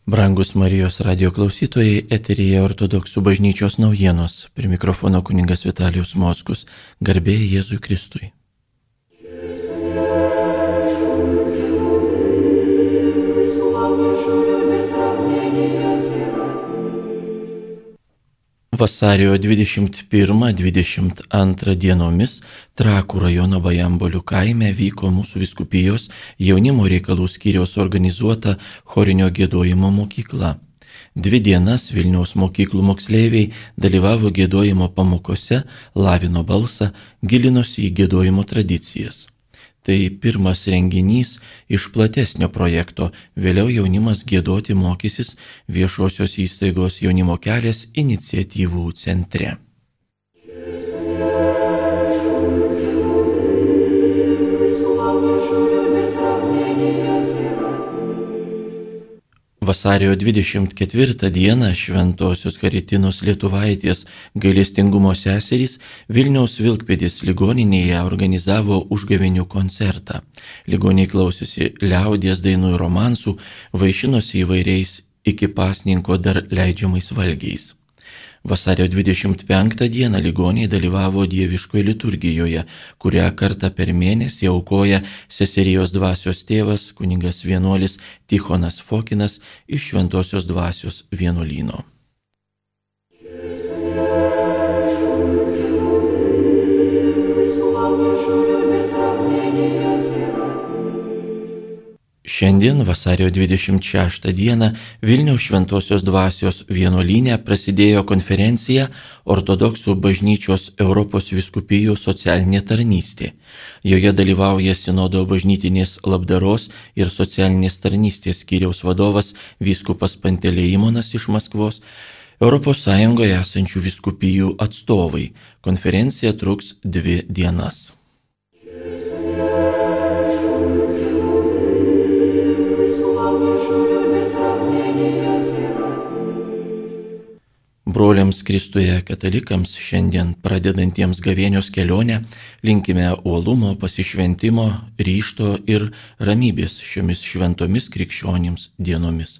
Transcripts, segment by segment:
Brangus Marijos radio klausytojai, eteryje Ortodoksų bažnyčios naujienos. Prie mikrofono kunigas Vitalijus Mockus. Garbė Jėzui Kristui. Vasario 21-22 dienomis Trakų rajono Bajambolių kaime vyko mūsų vyskupijos jaunimo reikalų skyriaus organizuota chorinio giedojimo mokykla. 2 dienas Vilniaus mokyklų moksleiviai dalyvavo giedojimo pamokose, lavino balsą, gilinosi į giedojimo tradicijas. Tai pirmas renginys iš platesnio projekto, vėliau jaunimas giedoti mokysis viešosios įstaigos Jaunimo kelias iniciatyvų centre. Vasario 24 dieną Šventosios Karitinos Lietuvaitės gailestingumo seserys Vilniaus Vilkpėdės ligoninėje organizavo užgavėnių koncertą. Ligoniai klausėsi liaudies dainų ir romansų, vaišinosi įvairiais iki pasninko dar leidžiamais valgiais. Vasario 25 dieną ligoniai dalyvavo dieviškoje liturgijoje, kurią kartą per mėnesį aukoja seserijos dvasios tėvas kunigas vienuolis Tichonas Fokinas iš Šventosios dvasios vienuolyno. Šiandien, vasario 26 dieną, Vilniaus Šventosios dvasios vienuolyne prasidėjo konferencija Ortodoksų bažnyčios Europos vyskupijų socialinė tarnystė. Joje dalyvauja Sinodo bažnytinės labdaros ir socialinės tarnystės skyriaus vadovas vyskupas Pantelejimonas iš Maskvos, Europos Sąjungoje esančių vyskupijų atstovai. Konferencija truks 2 dienas. Broliams Kristuje katalikams šiandien pradedantiems gavėnios kelionę linkime uolumo, pasišventimo, ryžto ir ramybės šiomis šventomis krikščionims dienomis.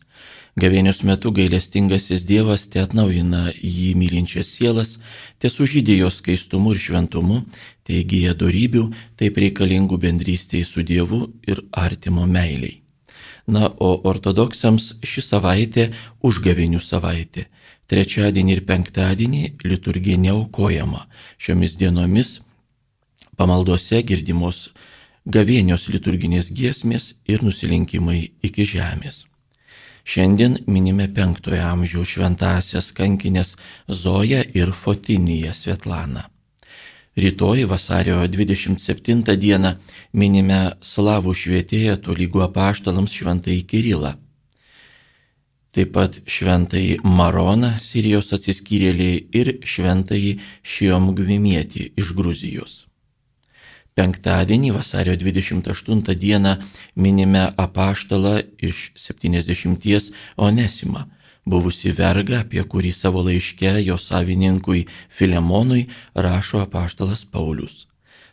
Gavėnios metu gailestingasis Dievas te atnaujina jį mylinčias sielas, te sužydė jos skaistumu ir šventumu, te įgyja dorybių, taip reikalingų bendrystėj su Dievu ir artimo meiliai. Na, o ortodoksams ši savaitė užgavėnių savaitė. Trečiadienį ir penktadienį liturgija neaukojama. Šiomis dienomis pamaldose girdimos gavėnios liturginės giesmės ir nusilenkimai iki žemės. Šiandien minime 5 amžiaus šventąsias kankinės Zoją ir Fotiniją Svetlaną. Rytoj vasario 27 dieną minime slavų švietėją tolygų apaštalams šventąjį Kirilą. Taip pat šventąjį Maroną, Sirijos atsiskyrėlį, ir šventąjį Šiomgvimietį iš Gruzijos. Penktadienį vasario 28 dieną minime apaštalą iš 70 Onesimą, buvusi vergą, apie kurį savo laiške jo savininkui Filemonui rašo apaštalas Paulius.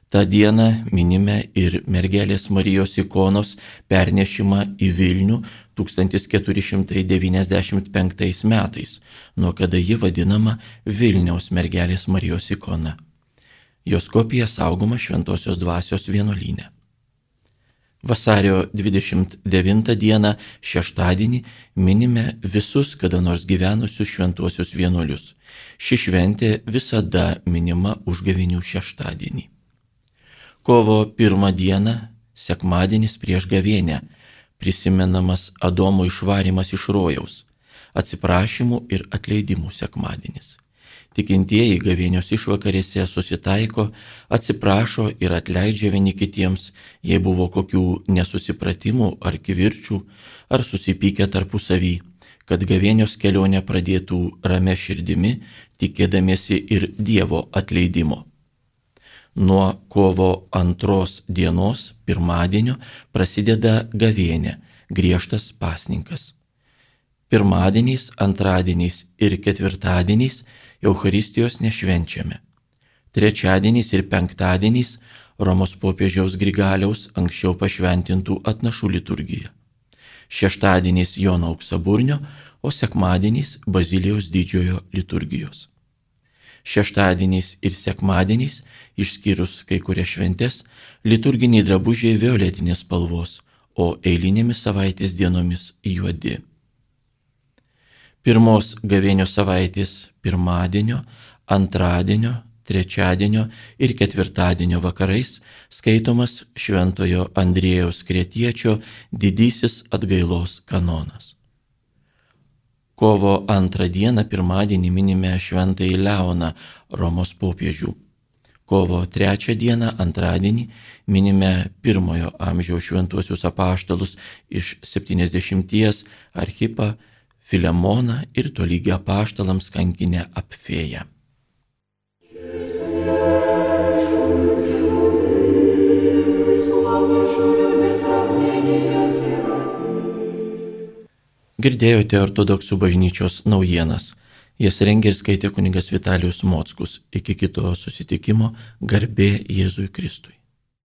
Ta diena minime ir mergelės Marijos ikonos pernešimą į Vilnių 1495 metais, nuo kada ji vadinama Vilniaus mergelės Marijos ikona. Jos kopija saugoma Šventosios dvasios vienuolyne. Vasario 29 dieną šeštadienį minime visus kada nors gyvenusius šventuosius vienuolius. Ši šventė visada minima užgavėnių šeštadienį. Kovo 1 dieną, sekmadienis prieš gavėnią, prisimenamas Adomo išvarymas iš rojaus, atsiprašymų ir atleidimų sekmadienis. Tikintieji gavėnios išvakarėse susitaiko, atsiprašo ir atleidžia vieni kitiems, jei buvo kokių nesusipratimų ar kivirčių, ar susipykę tarpusavy, kad gavėnios kelionę pradėtų ramia širdimi, tikėdamiesi ir Dievo atleidimo. Nuo kovo 2 dienos, pirmadienio, prasideda gavėnė, griežtas pasninkas. Pirmadieniais, antradieniais ir ketvirtadieniais Eucharistijos nešvenčiame. Trečiadieniais ir penktadieniais Romos popiežiaus Grigaliaus anksčiau pašventintų atnašų liturgija. šeštadieniais Jono Auksaburnio, o sekmadieniais Bazilijos didžiojo liturgijos. Šeštadieniais ir sekmadieniais, išskyrus kai kurias šventes, liturginiai drabužiai violetinės spalvos, o eilinėmis savaitės dienomis juodi. Pirmos gavėnios savaitės pirmadienio, antradienio, trečiadienio ir ketvirtadienio vakarais skaitomas Šventojo Andriejaus Kretiečio didysis atgailos kanonas. Kovo 2 dieną pirmadienį minime Šventąjį Leoną, Romos popiežių. Kovo 3 dieną antradienį minime 1 amžiaus šventuosius apaštalus iš 70 Archipą, Filemoną ir tolygį apaštalams kankinę Apfėją. Girdėjote ortodoksų bažnyčios naujienas. Jas rengė ir skaitė kunigas Vitalijus Mockus. Iki kito susitikimo, garbė Jėzui Kristui.